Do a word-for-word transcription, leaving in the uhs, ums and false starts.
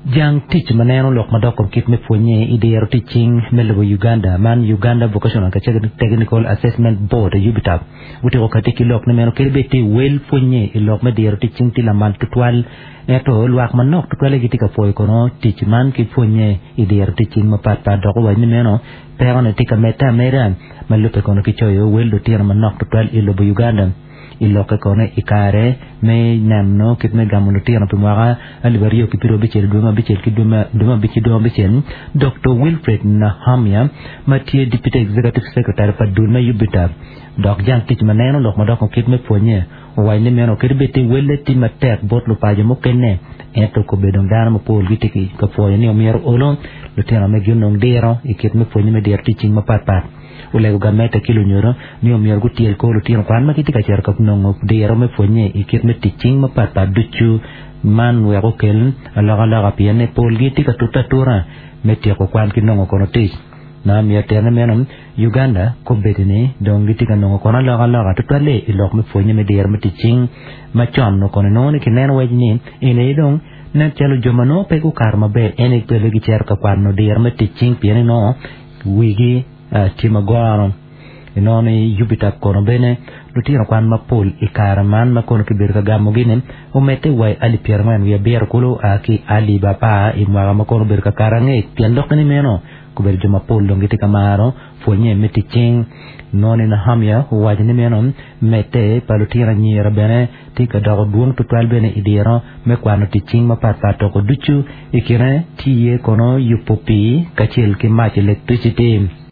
Jang tic ma neno lok madok kom kit me pwonye i diro tic cing me lobo Uganda man Uganda Vocational and Technical Assessment Board UBTAB otyeko kati ki lok ni meno kadi bed tye wel pwonye i lok me diro tic cing tye lamal tutwal ento lwak manok tutwale gitye ka pwoyo kono tic man ki pwonye i diro tic cing mapatpat dok owaco ni meno pekone tye ka medde ameda ma lubbe kono ki coyo wel lutino manok tutwal i lobo Uganda i lokke kono i kare me neno kit me gamo lutino pi mwaka alip aryo ki piero abicel dwe me abicel ki dwe me abic ki dwe me abicel Dr. Wilfred Nahamya ma tye Deputy Executive Secretary pa dul me UBTAB dok jang tic ma neno lok madok kit me pwonye owaco ni meno kadi bed tye welle tye matek bot lupaco mukene ento kobedo dano mapol gitye ka pwoyo ni omyero olo lutino megi onong diro i kit me pwonye me diro tic cing mapatpat olego gamente ki lunyodo ni omyero gutyel kor lutino kwan ma gitye ka cito ka nongo diro me pwonye i kit me tic cing mapatpat ducu man wek okel alokaloka pien ni polgi tye ka tute atura me tyeko kwan ki nongo kono tic na miyo tene meno Uganda kobedo ni dong gitye ka nongo kono alokaloka tutwalle i lok me pwonye me diro me tic cing macon no kono inongo ni kineno waci ni eni dong nen calo jo ma nongo pe gukato maber eni pele gicito ka kwano diro me tic cing pien inongo wigi tye magoro inongo ni UBTAB kono bene lutino kwan mapol i kare man ma kono kibedo ka gamogi-ni omedde wa i alip pyerangwen wiye abiro kulu a ki alip apar i mwaka ma kono obedo ka kato angec pien lokke ni meno kobedo jo mapol dong gitye ka maro pwonye me tic cing nongo ni Nahamya owaco ni meno medde pa lutino anyira bene tye ka doko dwong tutwal bene i diro me kwano tic cing mapatpat toko ducu i kine tye iye kono yubo pii kacel ki mac electricity.